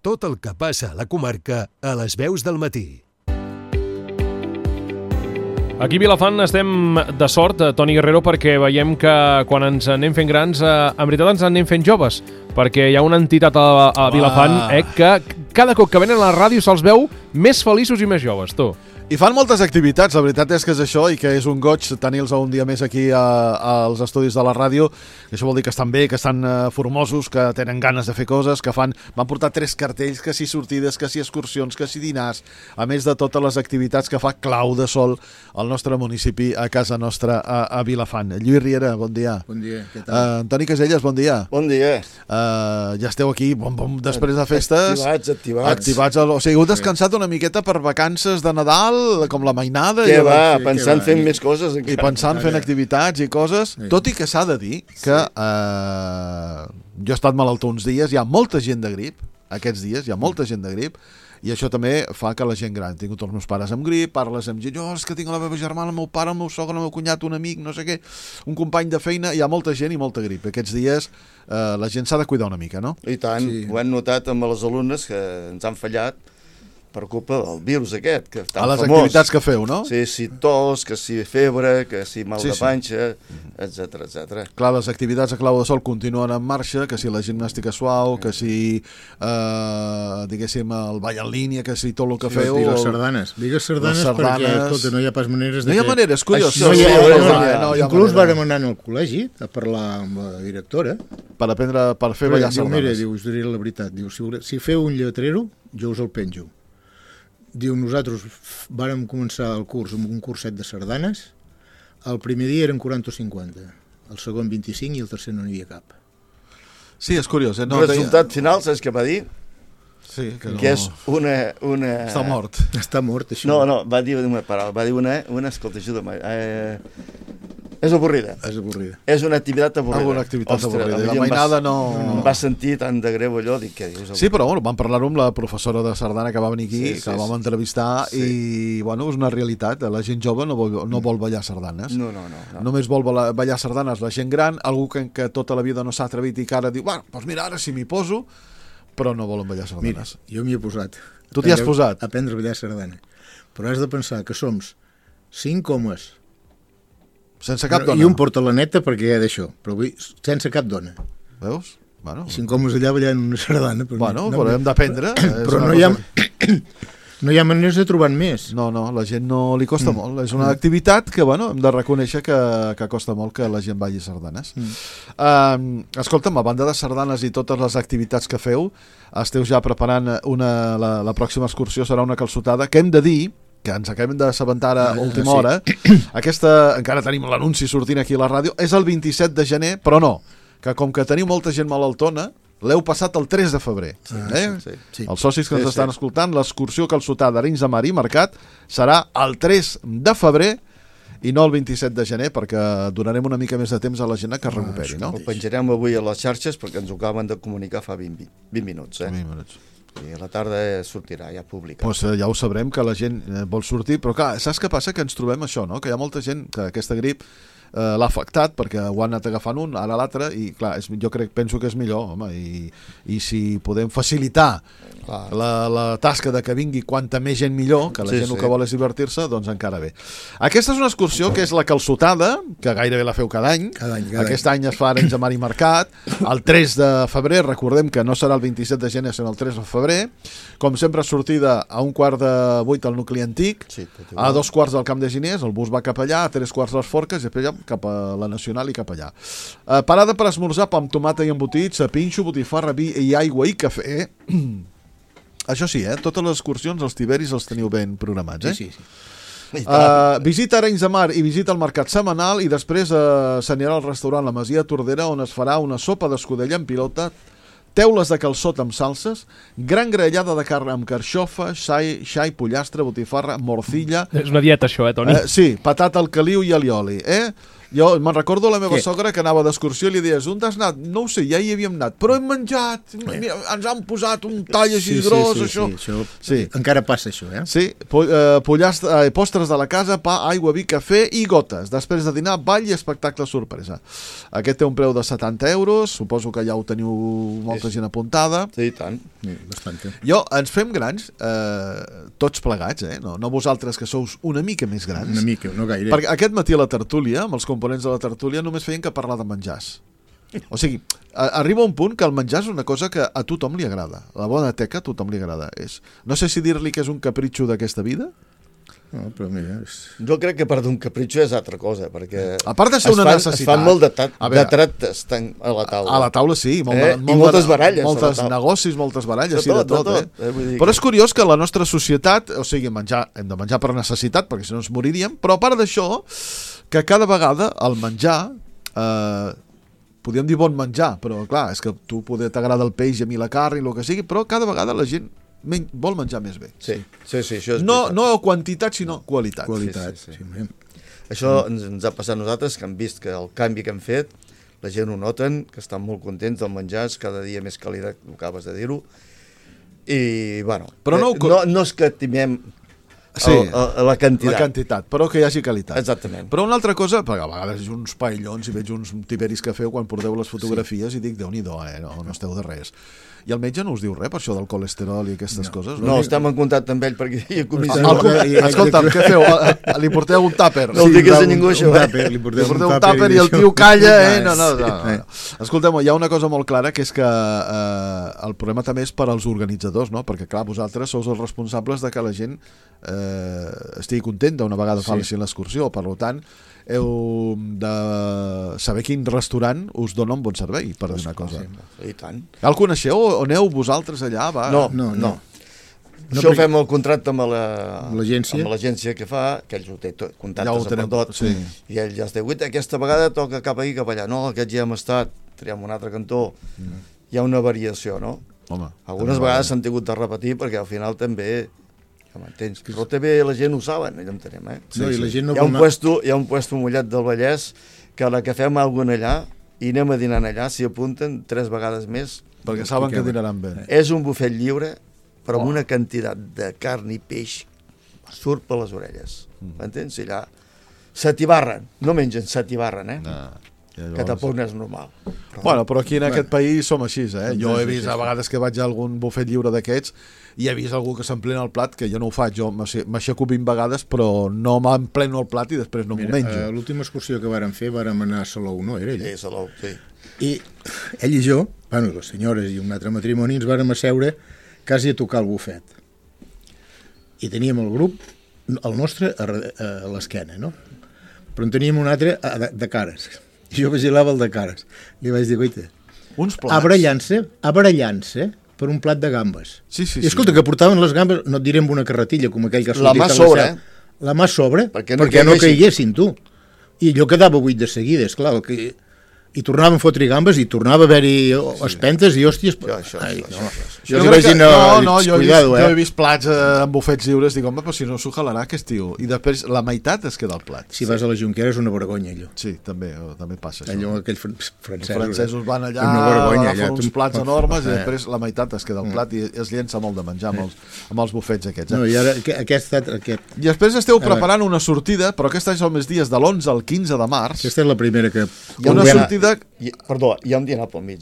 Tot el que passa a la comarca a les veus del matí. Aquí a Vilafant estem de sort, Toni Guerrero, perquè veiem que quan ens anem fent grans, en veritat ens anem fent joves, perquè hi ha una entitat a Vilafant que cada cop que venen a la ràdio se'ls veu més feliços i més joves, tu. I fan moltes activitats, la veritat és que és això i que és un goig tenir-los un dia més aquí als estudis de la ràdio. Això vol dir que estan bé, que estan formosos, que tenen ganes de fer coses, que van portar 3 cartells, que si sortides, que si excursions, que si dinars, a més de totes les activitats que fa Clau de Sol al nostre municipi, a casa nostra, a Vilafant. Lluís Riera, bon dia. Bon dia, què tal? Antoni Caselles, bon dia. Bon dia. Ja esteu aquí, després de festes. Activats. O sigui, heu descansat una miqueta per vacances de Nadal, com la mainada. Què va, pensant fent més coses. I pensant fent activitats i coses. Tot i que s'ha de dir que jo he estat malaltó uns dies, hi ha molta gent de grip, aquests dies hi ha molta gent de grip, i això també fa que la gent gran, tinc tots els meus pares amb grip, parles amb gent, és que tinc la meva germana, el meu pare, el meu sogre, el meu cunyat, un amic, no sé què, un company de feina, hi ha molta gent i molta grip. Aquests dies la gent s'ha de cuidar una mica, no? I tant, ho hem notat amb els alumnes que ens han fallat per culpa del virus aquest, que tan famós. A les activitats que feu, no? Sí, si tos, que si febre, que si mal de panxa, etc. Clar, les activitats a Clau de Sol continuen en marxa, que si la gimnàstica suau, que si, diguéssim, el ball en línia, que si tot el que feu... I les sardanes. Digues sardanes perquè, escolta, no hi ha pas maneres... No hi ha maneres, curiós. Inclús vàrem anar al col·legi a parlar amb la directora. Per aprendre, per fer ballar sardanes. Mira, diu, us diré la veritat, diu, si feu un lletrero, jo us el penjo. Diu, nosaltres vàrem començar el curs amb un curset de sardanes, el primer dia eren 40 o 50, el segon 25 i el tercer no n'hi havia cap. Sí, és curiós. El resultat final, saps què va dir? Sí, que és una... Està mort. Està mort, això. No, va dir una paraula, va dir una escolta, ajuda'm, és avorrida. És avorrida. És una activitat avorrida. Una activitat avorrida. La mainada no... Em va sentir tan de greu allò, dic, què dius? Sí, però bueno, vam parlar-ho amb la professora de sardana que va venir aquí, que la vam entrevistar, i bueno, és una realitat. La gent jove no vol ballar sardanes. No. Només vol ballar sardanes la gent gran, algú que tota la vida no s'ha atrevit i que ara diu, doncs mira, ara sí m'hi poso, però no volen ballar sardanes. Mira, jo m'hi he posat. Tu t'hi has posat? A aprendre a ballar sardana. Però has de pensar que som 5 homes. Sense cap dona. I un porta la neta perquè hi ha d'això, però sense cap dona. Veus? Bueno, 5 homes allà ballant una sardana. Bueno, però hem d'aprendre. Però no hi ha maneres de trobar més. No, la gent no li costa molt. És una activitat que, bueno, hem de reconèixer que costa molt que la gent balli sardanes. Escolta'm, a banda de sardanes i totes les activitats que feu, esteu ja preparant la pròxima excursió, serà una calçotada, que hem de dir que ens acabem d'assabentar a última hora. Aquesta, encara tenim l'anunci sortint aquí a la ràdio, és el 27 de gener, però no, que com que teniu molta gent malaltona, l'heu passat el 3 de febrer. Sí. Els socis que ens estan escoltant, l'excursió calçotada d'Arenys de Mar i Mercat serà el 3 de febrer i no el 27 de gener, perquè donarem una mica més de temps a la gent que es recuperi, no? Ho penjarem avui a les xarxes perquè ens ho acaben de comunicar fa 20 minuts. 20 minuts. I a la tarda sortirà, ja publicat. Doncs ja ho sabrem, que la gent vol sortir, però clar, saps què passa? Que ens trobem això, no? Que hi ha molta gent que aquesta grip l'ha afectat perquè ho han anat agafant un, ara l'altre, i clar, jo penso que és millor, home, i si podem facilitar la tasca de que vingui quanta més gent millor, que la gent el que vol és divertir-se, doncs encara bé. Aquesta és una excursió que és la calçotada, que gairebé la feu cada any. Aquest any es fa a Arenys de Mar i Mercat, el 3 de febrer, recordem que no serà el 27 de gener, sinó el 3 de febrer, com sempre sortida a 7:15 al nucli antic, a 2:15 al Camp de Giners, el bus va cap allà, a 3:15 les Forques, i després cap a la Nacional i cap allà. Parada per esmorzar, pa amb tomata i embotits, pinxo, botifarra, vi i aigua i cafè. Això sí, totes les excursions, els tiberis els teniu ben programats, Sí. Visita Arenys de Mar i visita el mercat setmanal i després s'anirà al restaurant La Masia Tordera, on es farà una sopa d'escudella en pilota, teules de calçot amb salses, gran graellada de carn amb carxofa, xai, pollastre, botifarra, morcilla... És una dieta, això, Toni? Sí, patata al caliu i alioli, Jo me'n recordo la meva sogra que anava d'excursió i li deies, on has anat? No ho sé, ja hi havíem anat, però hem menjat, mira, ens han posat un tall així gros, això. Sí. Encara passa això, eh? Sí, postres de la casa, pa, aigua, vi, cafè i gotes. Després de dinar, ball i espectacle sorpresa. Aquest té un preu de 70 euros, suposo que ja ho teniu molta gent apuntada. Sí, tant. Bastante. Jo, ens fem grans, tots plegats, no vosaltres que sous una mica més grans. Una mica, no gaire. Perquè aquest matí a la tertúlia, amb els components de la tertúlia, només feien que parlar de menjars. O sigui, arriba un punt que el menjar és una cosa que a tothom li agrada. La bona teca a tothom li agrada. No sé si dir-li que és un capritxo d'aquesta vida. No, però mira... Jo crec que part d'un capritxo és altra cosa, perquè... A part de ser una necessitat... Es fan molt de tractes a la taula. A la taula, sí. I moltes baralles. Moltes negocis, moltes baralles, sí, de tot. Però és curiós que la nostra societat, o sigui, hem de menjar per necessitat, perquè si no ens moriríem, però a part d'això, que cada vegada el menjar... podríem dir bon menjar, però clar, és que tu t'agrada el peix i a mi la carn i el que sigui, però cada vegada la gent vol menjar més bé. Sí, això és no quantitat, sinó qualitat. Sí. Això ens ha passat a nosaltres, que hem vist que el canvi que hem fet, la gent ho noten, que estan molt contents del menjar, és cada dia més qualitat, ho acabes de dir-ho, i, bueno, però no escatimem la quantitat. La quantitat, però que hi hagi qualitat. Exactament. Però una altra cosa, perquè a vegades veig uns paellons i veig uns tiberis que feu quan porteu les fotografies i dic, Déu-n'hi-do, no esteu de res. I el metge no us diu res per això del colesterol i aquestes coses? No, estem en contacte amb ell perquè hi ha comissió. Escolta'm, què feu? Li porteu un tàper? No ho diguis a ningú, això. Li porteu un tàper i el tio calla, No. Escolteu, hi ha una cosa molt clara, que és que el problema també és per als organitzadors, no? Perquè, clar, vosaltres sou els responsables de que la gent estigui contenta una vegada fa l'excursió, per tant heu de saber quin restaurant us dona un bon servei, per dir una cosa. I tant. El coneixeu o aneu vosaltres allà? No. Això ho fem el contracte amb l'agència que fa, que ells ho té contactes amb tot, i ell ja es diu, aquesta vegada toca cap aquí, cap allà. No, aquest ja hem estat, triem un altre cantó. Hi ha una variació, no? Home, algunes vegades s'han tingut de repetir perquè al final també... m'entens? Però també la gent ho saben, allò entenem, Hi ha un puesto mullat del Vallès que a la que fem alguna allà i anem a dinar allà, s'hi apunten 3 vegades més. Perquè saben que dinaran bé. És un bufet lliure, però amb una quantitat de carn i peix surt per les orelles. M'entens? I allà s'atibarren, no mengen, s'atibarren, que tampoc no és normal. Però aquí en aquest país som així, Jo he vist a vegades que vaig a algun bufet lliure d'aquests i he vist algú que s'emplena el plat, que jo no ho faig, jo m'aixeco 20 vegades però no m'empleno el plat i després no m'ho menjo. L'última excursió que vàrem fer vàrem anar a Salou, no? Era ell? Sí, Salou, sí. I ell i jo, les senyores i un altre matrimoni, ens vàrem asseure quasi a tocar el bufet. I teníem el grup, el nostre a l'esquena, no? Però en teníem un altre de cares. I jo vigilava el de cares. Li vaig dir, goita, abarallant-se per un plat de gambes. Sí. I escolta, que portaven les gambes, no et diré amb una carretilla, com aquell que ha sortit a la sobre, la mà sobre, perquè no caiguessin, tu. I allò quedava buit de seguida, esclar, i tornaven a fotre gambes i tornava a haver-hi espentes i hòsties. Jo he vist plats amb bufets lliures, dic, home, però si no s'ho jalarà aquest tio. I després la meitat es queda al plat. Si vas a la Junquera és una vergonya, allò. Sí, també passa això. Allò, aquells francesos van allà, agafen uns plats enormes i després la meitat es queda al plat i es llença molt de menjar amb els bufets aquests. I ara aquest... I després esteu preparant una sortida, però aquest any són més dies de l'11 al 15 de març. Aquesta és la primera que... Una sortida... Perdó, hi ha un dinar pel mig,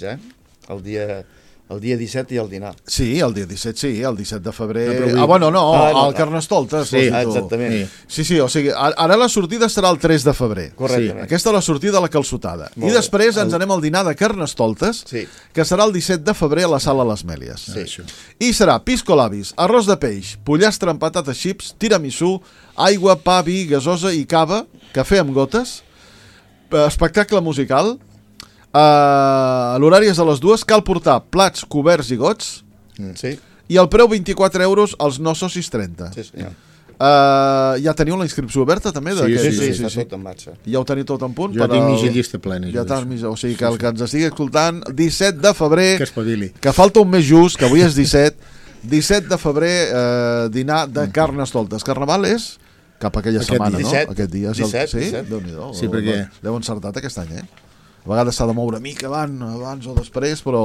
el dia 17 i el dinar. Sí, el dia 17, sí, el 17 de febrer... el Carnestoltes. Sí, exactament. Sí, o sigui, ara la sortida serà el 3 de febrer. Correctament. Aquesta és la sortida de la calçotada. I després ens anem al dinar de Carnestoltes, que serà el 17 de febrer a la Sala Les Mèlies. I serà pisco labis, arròs de peix, pollastre amb patates xips, tiramisú, aigua, pa, vi, gasosa i cava, cafè amb gotes, espectacle musical. L'horari és a les 2, cal portar plats, coberts i gots, i el preu 24 euros, els no socis 30. Ja teniu la inscripció oberta també? Sí, està tot en marxa. Ja ho teniu tot en punt? Jo tinc mitja llista plena. O sigui que el que ens estigui escoltant, 17 de febrer, que espavili, que falta un mes just, que avui és 17 de febrer, dinar de Carnestoltes. Carnaval és cap a aquella setmana, 17, no? Aquest dia. 17. Déu-n'hi-do. Sí, perquè... L'heu encertat aquest any, A vegades s'ha de moure mica abans o després, però...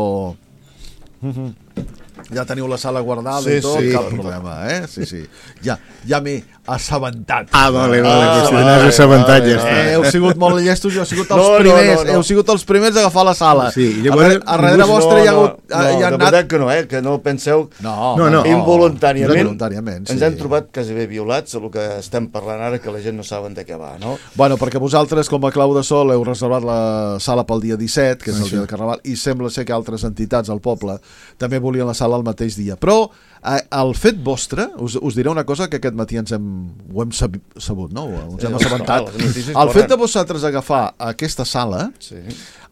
Ja teniu la sala guardada i tot, cap problema, Sí. Ja m'he assabentat. Vale, que si n'has assabentat ja està. Heu sigut molt llestos, jo he sigut els primers. Heu sigut els primers a agafar la sala. Sí, llavors... A darrere vostre hi ha hagut... No, de veritat que no, que no penseu... No. Involuntàriament ens hem trobat quasi bé violats el que estem parlant ara, que la gent no saben de què va, no? Bueno, perquè vosaltres, com a Clau de Sol, heu reservat la sala pel dia 17, que és el dia del Carnaval, i sembla ser que altres entitats al poble també volien la sala el mateix dia. Però el fet vostre, us diré una cosa que aquest matí ho hem sabut, no? Ens hem assabentat. El fet de vosaltres agafar aquesta sala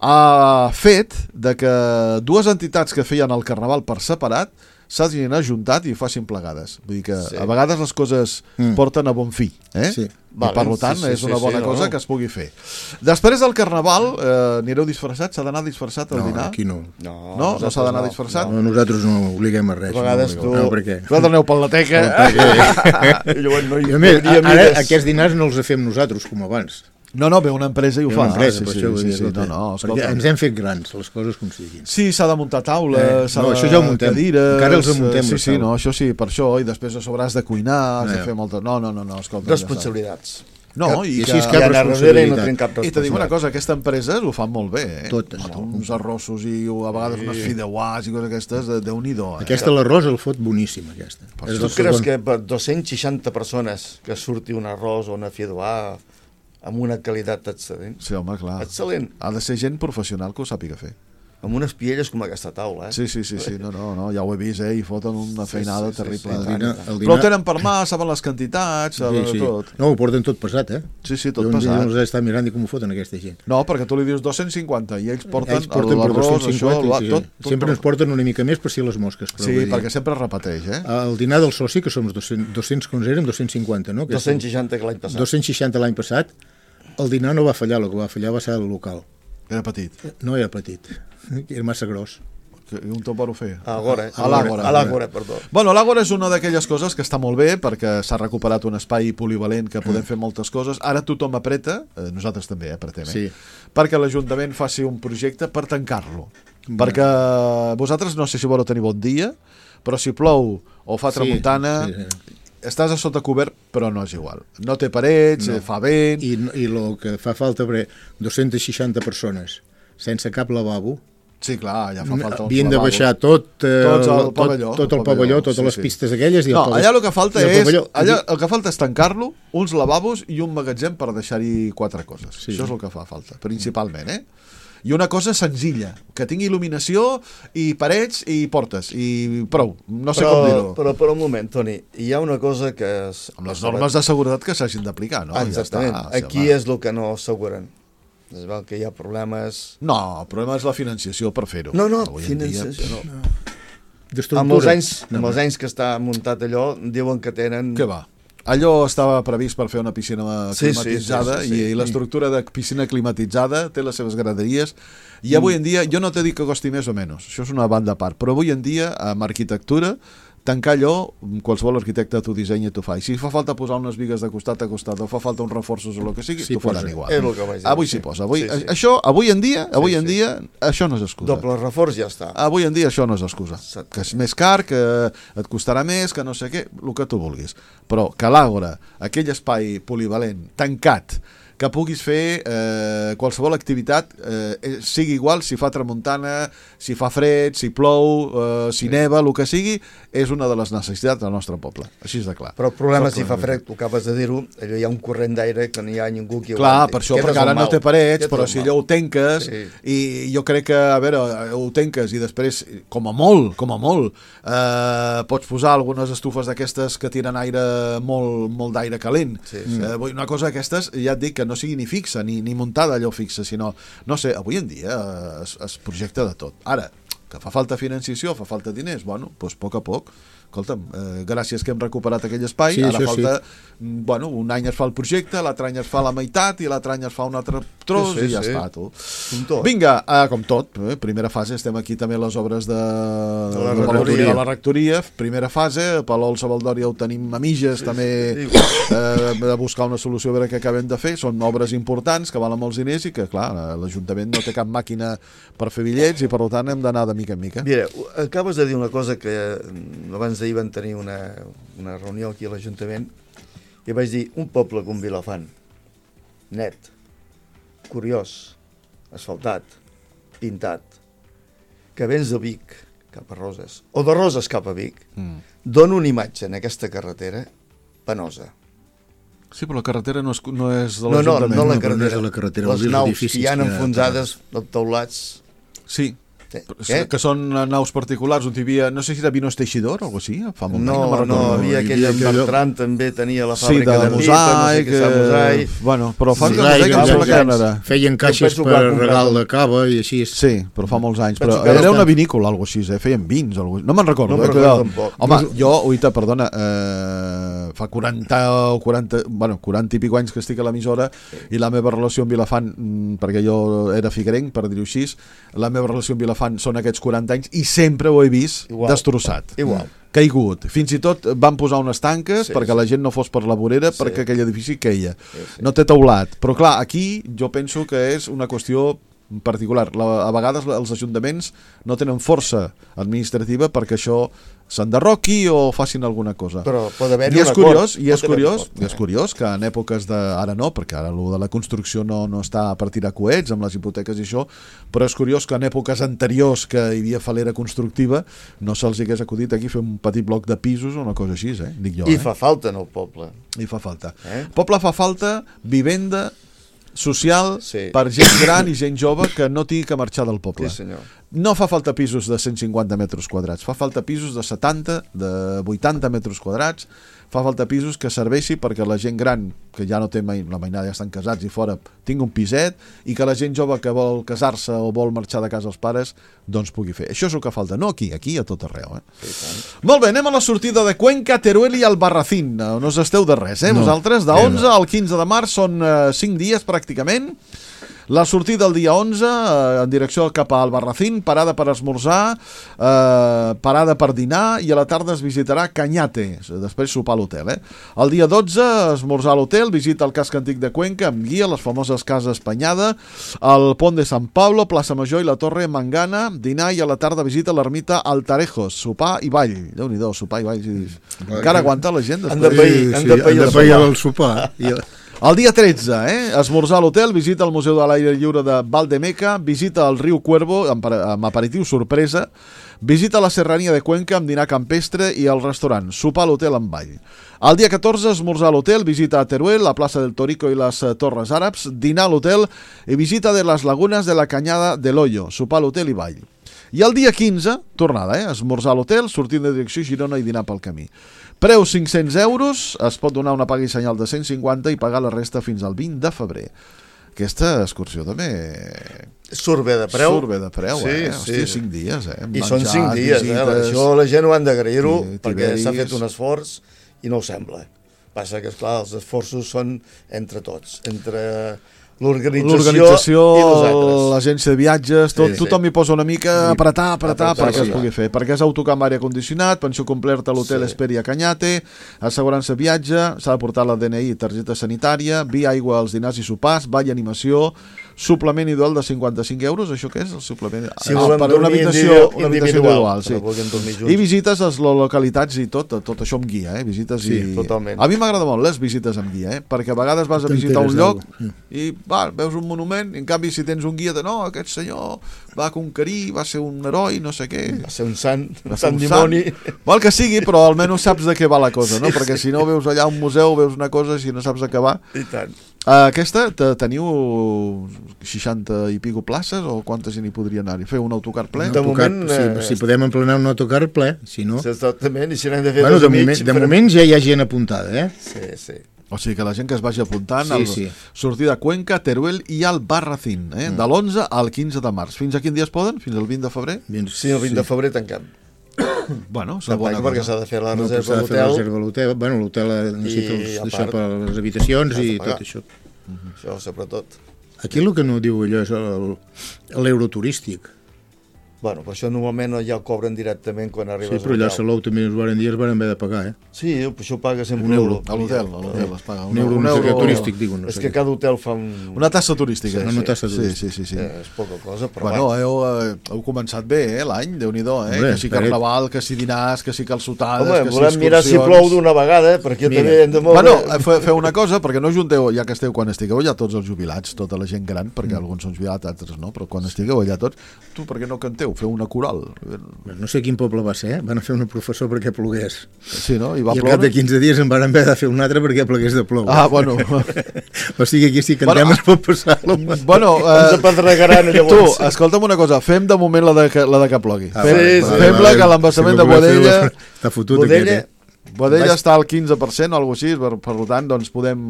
ha fet de que dues entitats que feien el Carnaval per separat s'hagin ajuntat i ho facin plegades. Vull dir que a vegades les coses porten a bon fi, Sí. I per tant és una bona cosa que es pugui fer. Després del Carnaval anireu disfressats? S'ha d'anar disfressat al dinar? No, aquí no. No s'ha d'anar disfressat? No, nosaltres no obliguem a res. A vegades tu... No, per què? Vosaltres aneu per la teca. I a més, ara aquests dinars no els fem nosaltres com abans. No, ve una empresa i ho fa. Perquè ens hem fet grans, les coses com siguin. Sí, s'ha de muntar taules, això ja ho muntem. Cadires... Encara els muntem. Sí, això sí, per això, i després a sobre has de cuinar, has de fer molta... No, escolta... Responsabilitats. No, i així és cap responsabilitat. I te dic una cosa, aquesta empresa ho fan molt bé, Totes. Uns arrossos i a vegades unes fideuàs i coses aquestes, Déu-n'hi-do. Aquesta, l'arròs, el fot boníssim, aquesta. Tu creus que per 260 persones que surti un arròs o una fideuà amb una qualitat excel·lent? Sí, home, clar. Excel·lent. Ha de ser gent professional que ho sàpiga fer. Amb unes pielles com aquesta taula, Sí, no, ja ho he vist, i foten una feinada terrible. El Però ho tenen per mà, saben les quantitats, tot. No, ho porten tot pesat, Sí, tot pesat. Jo no està mirant com ho foten aquesta gent. No, perquè tu li dius 250 i ells porten l'arròs, això, tot. Sempre ens porten una mica més per si les mosques. Sí, perquè sempre es repeteix, El dinar del soci, que som 200 com érem, 250, no? 260 l'any passat. 260 l'any passat, el dinar no va fallar, el que va fallar va ser el local. Era petit. No era petit, era massa gros. I un topar ho feia? A l'Àgora, perdó. Bueno, l'Àgora és una d'aquelles coses que està molt bé perquè s'ha recuperat un espai polivalent que podem fer moltes coses. Ara tothom apreta, nosaltres també apretem, perquè l'Ajuntament faci un projecte per tancar-lo. Perquè vosaltres no sé si voleu tenir bon dia, però si plou o fa tramuntana... Estàs a sota cobert, però no és igual. No té parets, fa vent... I el que fa falta, 260 persones sense cap lavabo... Sí, clar, ja fa falta havien de baixar tot el pavelló, totes les pistes aquelles... No, allà el que falta és tancar-lo, uns lavabos i un magatzem per deixar-hi 4 coses. Això és el que fa falta, principalment, I una cosa senzilla, que tingui il·luminació i parets i portes, i prou, no sé com dir-ho. Però un moment, Toni, hi ha una cosa que... Amb les normes de seguretat que s'hagin d'aplicar, no? Exactament, aquí és el que no asseguren. Es veu que hi ha problemes... No, el problema és la financiació per fer-ho. No, financiació no. Amb els anys que està muntat allò, diuen que tenen... Què va? Allò estava previst per fer una piscina climatitzada i l'estructura de piscina climatitzada té les seves graderies i avui en dia, jo no t'he dit que costi més o menys, això és una banda a part, però avui en dia amb arquitectura tancar allò, qualsevol arquitecte t'ho dissenya i t'ho fa. I si fa falta posar unes bigues de costat a costat o fa falta uns reforços o el que sigui, t'ho faran igual. És el que vaig dir. Avui s'hi posa. Això, avui en dia, això no és excusa. Doble reforç ja està. Avui en dia això no és excusa. Que és més car, que et costarà més, que no sé què, el que tu vulguis. Però que l'Àgora, aquell espai polivalent, tancat, que puguis fer qualsevol activitat, sigui igual si fa tramuntana, si fa fred, si plou, si neva, el que sigui, és una de les necessitats del nostre poble. Així és de clar. Però el problema si fa fred, tu acabes de dir-ho, allò hi ha un corrent d'aire que no hi ha ningú qui aguanti. Clar, per això, perquè ara no té parets, però si allò ho tanques, i jo crec que, a veure, ho tanques i després, com a molt, pots posar algunes estufes d'aquestes que tiren aire, molt d'aire calent. Una cosa d'aquestes, ja et dic que no sigui ni fixa, ni muntada allò fixa, sinó, no sé, avui en dia es projecta de tot. Ara, que fa falta financiació, fa falta diners, bueno, doncs a poc, escolta'm, gràcies que hem recuperat aquell espai, ara falta, bueno, un any es fa el projecte, l'altre any es fa la meitat i l'altre any es fa un altre tros i ja està, tu. Vinga, com tot, primera fase, estem aquí també a les obres de la rectoria, primera fase, a Palol Sabaldòria ho tenim a mitges, també de buscar una solució a veure què acabem de fer, són obres importants que valen molts diners i que, clar, l'Ajuntament no té cap màquina per fer bitllets i per tant hem d'anar de mica en mica. Mira, acabes de dir una cosa que abans d'ahir van tenir una reunió aquí a l'Ajuntament i vaig dir, un poble com Vilafant, net, curiós, asfaltat, pintat, que vens de Vic cap a Roses, o de Roses cap a Vic, dona una imatge en aquesta carretera penosa. Sí, però la carretera no és de l'Ajuntament. No la carretera, les naus que hi ha enfonsades, els teulats... Sí, que són naus particulars, on hi havia, no sé si era Vinos Teixidor o alguna cosa així, fa molt no, havia aquella Bertran també tenia la fàbrica de mosaic, bueno, però fa anys feien caixes per regal de cava i així. Sí, però fa molts anys, però era una vinícola, alguna cosa així, feien vins, no me'n recordo. Home, jo, oita, perdona, fa 40 i pico anys que estic a l'emissora i la meva relació amb Vilafant, perquè jo era figuerenc, per dir-ho així, la meva relació amb Vilafant són aquests 40 anys i sempre ho he vist destrossat. Caigut. Fins i tot van posar unes tanques perquè la gent no fos per la vorera perquè aquell edifici queia. No té teulat. Però clar, aquí jo penso que és una qüestió particular. A vegades els ajuntaments no tenen força administrativa perquè això s'enderroqui o facin alguna cosa. Però pot haver-hi un acord. I és curiós que en èpoques de... Ara no, perquè ara el de la construcció no està per tirar coets amb les hipoteques i això, però és curiós que en èpoques anteriors que hi havia falera constructiva no se'ls hagués acudit aquí fer un petit bloc de pisos o una cosa així, dic jo. I fa falta en el poble. I fa falta. El poble fa falta vivenda social per gent gran i gent jove que no tingui que marxar del poble. Sí, senyor. No fa falta pisos de 150 metres quadrats, fa falta pisos de 70, de 80 metres quadrats, fa falta pisos que serveixi perquè la gent gran, que ja no té la mainada, ja estan casats i fora, tingui un piset, i que la gent jove que vol casar-se o vol marxar de casa als pares, doncs pugui fer. Això és el que falta, no aquí a tot arreu. Molt bé, anem a la sortida de Cuenca, Teruel i Albarracín. No us esteu de res, vosaltres, de 11 al 15 de març, són 5 dies pràcticament. La sortida el dia 11 en direcció cap a Albarracín, parada per esmorzar, parada per dinar i a la tarda es visitarà Cañate, després sopar a l'hotel. El dia 12 esmorzar a l'hotel, visita el casc antic de Cuenca amb guia, les famoses Cases Penyada, el Pont de Sant Pablo, Plaça Major i la Torre Mangana, dinar i a la tarda visita l'ermita Altarejos, sopar i ball. Déu-n'hi-do, sopar i ball. Encara aguanta la gent després? Han de pair el sopar. El dia 13, esmorzar a l'hotel, visita el Museu de l'Aire Lliure de Valdemeca, visita el riu Cuervo amb aperitiu sorpresa, visita la serrania de Cuenca amb dinar campestre i el restaurant, sopar a l'hotel amb ball. El dia 14, esmorzar a l'hotel, visita a Teruel, la plaça del Torico i les Torres Àrabs, dinar a l'hotel i visita de les lagunes de la Canyada de l'Hoyo, sopar a l'hotel i ball. I el dia 15, tornada, esmorzar a l'hotel, sortint de direcció Girona i dinar pel camí. Preu 500 euros, es pot donar una paga i senyal de 150 i pagar la resta fins al 20 de febrer. Aquesta excursió també... Surt bé de preu. Surt bé de preu, Hòstia, 5 dies, I són 5 dies, Això la gent ho han d'agrair-ho perquè s'ha fet un esforç i no ho sembla. Passa que, esclar, els esforços són entre tots, entre... l'organització i nosaltres. L'agència de viatges, tothom hi posa una mica apretar perquè es pugui fer, perquè és autocar amb aire condicionat, pensió completa a l'hotel Esperi a Cañate, assegurança viatge, s'ha de portar la DNI i targeta sanitària, vi, aigua als dinars i sopars, ball i animació, suplement individual de 55 euros, això què és el suplement? Si volem per una habitació individual, sí. I visites a les localitats i tot això amb guia, visites i... totalment. A mi m'agrada molt les visites amb guia, perquè a vegades vas a visitar un lloc i veus un monument, i en canvi si tens un guia de no, aquest senyor va conquerir, va ser un heroi, no sé què, va ser un sant dimoni, vol que sigui, però almenys saps de què va la cosa, no? Perquè si no veus allà un museu, veus una cosa, si no saps de què va. I tant. Aquesta, teniu 60 i pico places o quantes hi podria anar-hi? Fer un autocar ple? De moment, si podem emplenar un autocar ple, si no... Exactament, i si n'hem de fer dos i mig... De moment ja hi ha gent apuntada, Sí. O sigui que la gent que es vagi apuntant sortida a Cuenca, Teruel i Albarracín, de l'11 al 15 de març. Fins a quin dia es poden? Fins al 20 de febrer? Sí, el 20 de febrer tanquem. Bueno, és una bona perquè cosa. s'ha de fer la No, reserva s'ha de fer la d'hotel. reserva a l'hotel. Bueno, l'hotel necessita I, a això part, per les habitacions has de i pagar. tot això. Això, sobretot. Aquí el que no diu allò és l'euro turístic. Bueno, però això normalment ja ho cobren directament quan Sí, arribes però allà a a l'hotel. Salou també us van dir, es van haver de pagar, Sí, això ho paga sempre Un euro. A l'hotel es paga. Un euro, no sé què, turístic, digo. No És sé que què. cada hotel fa un... Una tassa turística. Una tassa turística. Sí. És poca cosa, però Bueno, heu començat bé, l'any, Déu-n'hi-do, Hombre, que sí carnaval, que sí dinars, que sí calçotades, home, que sí volem mirar si excursions. plou d'una vegada, perquè Mira. també hem de moure... Bueno, feu una cosa, perquè no junteu, ja que esteu, quan estigueu allà tots els jubilats, tota la gent gran, perquè alguns són jubilats, altres no, però quan estigueu allà tots, tu per què no canteu? Feu una coral. No sé quin poble va ser, van a fer una professor perquè plogués. Sí, no? I va I al cap ploure? de 15 dies en van haver de fer un altre perquè plegués de plou. Ah, bueno. O sigui, aquí si cantem es pot passar-lo. Bueno, Ens apedregaran tu, llavors. escolta'm una cosa, fem de moment la de que plogui. Ah, Fem-la, que l'embassament de Boadella... Està fotut Boadella, aquest, Boadella està al 15% o alguna cosa així, per tant, doncs podem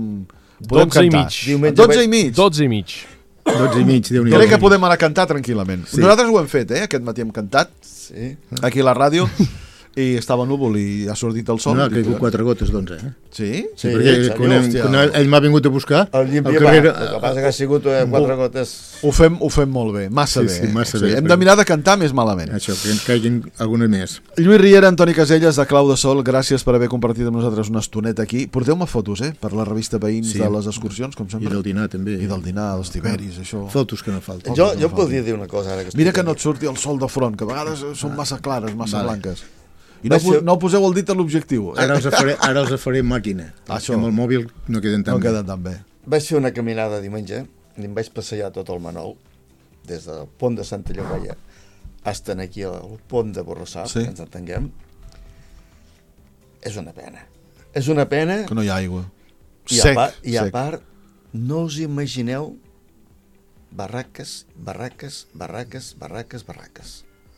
12 i cantar. mig. Diumenge 12 i mig. 12 i mig. 12 i mig, Déu-n'hi-do. Crec que podem anar a cantar tranquil·lament. Sí. Nosaltres ho hem fet, aquest matí hem cantat, Sí. aquí a la ràdio, i estava núvol i ha sortit el sol. No, ha caigut 4 gotes d'11, Sí? Sí, perquè en quan, sèrio? quan ell m'ha vingut a buscar, El llimpia al va, carrer... el que passa que ha sigut 4 gotes... Ho fem molt bé, massa Sí, bé. sí, massa bé. Hem de mirar de cantar més malament. Això, que en caiguin alguna més. Lluís Riera, Antoni Caselles, de Clau de Sol, gràcies per haver compartit amb nosaltres una estoneta aquí. Porteu-me fotos, per la revista Veïns Sí. de les excursions, com I sempre. del dinar, també. I del dinar, dels tiberis, això. Fotos que no falten. Jo podria dir una cosa ara que Mira estic que no aquí. et surti el sol de front, que a vegades són massa clares, massa Vale. blanques. I Vaig fer- no poseu el dit a l'objectiu. Ara els faré màquina. Això. Amb el mòbil no queden tan No bé. queden tan bé. Vaig fer una caminada diumenge i em vaig passejar tot el Manol, des del pont de Santa Llogaia fins aquí al pont de Borrassà, Sí. que ens entenguem. És una pena. És una pena Que no hi ha aigua. i, Sec, a sec. part, no us imagineu barraques.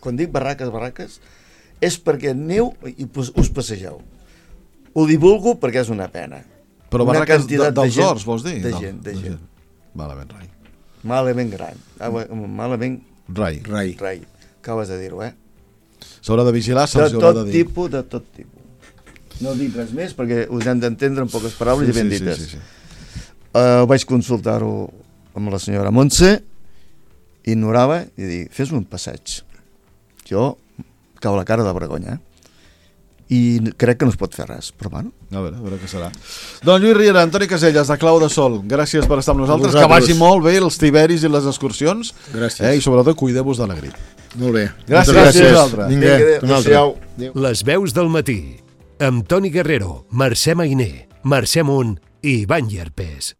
Quan dic barraques, és perquè aneu i us passegeu. Ho divulgo perquè és una pena. Però Una barraques quantitat de dels gent- horts, vols dir? de No, gent. Malament, rai. Malament gran. Malament Rai. Rai. rai. Acabes de dir-ho, S'haurà de vigilar, De se'ls haurà de tot dir. tipus, de tot tipus. No dic res més perquè us hem d'entendre en poques paraules i ben dites. Sí. Vaig consultar-ho amb la senyora Montse, ignorava i dic, fes-me un passeig. Jo cau la cara de vergonya, i crec que no es pot fer res, però bueno. A veure què serà. Doncs Lluís Riera, Antoni Caselles, de Clau de Sol, gràcies per estar amb nosaltres, que Vosaltres. vagi molt bé els tiberis i les excursions. Gràcies. I sobretot cuideu-vos de la grip. Molt bé. Gràcies. Moltes Gràcies a vosaltres. Vinga, un altre. adéu-siau. Les veus del matí. Amb Toni Guerrero, Mercè Mainer, Mercè Munt i Ivan Llarpés.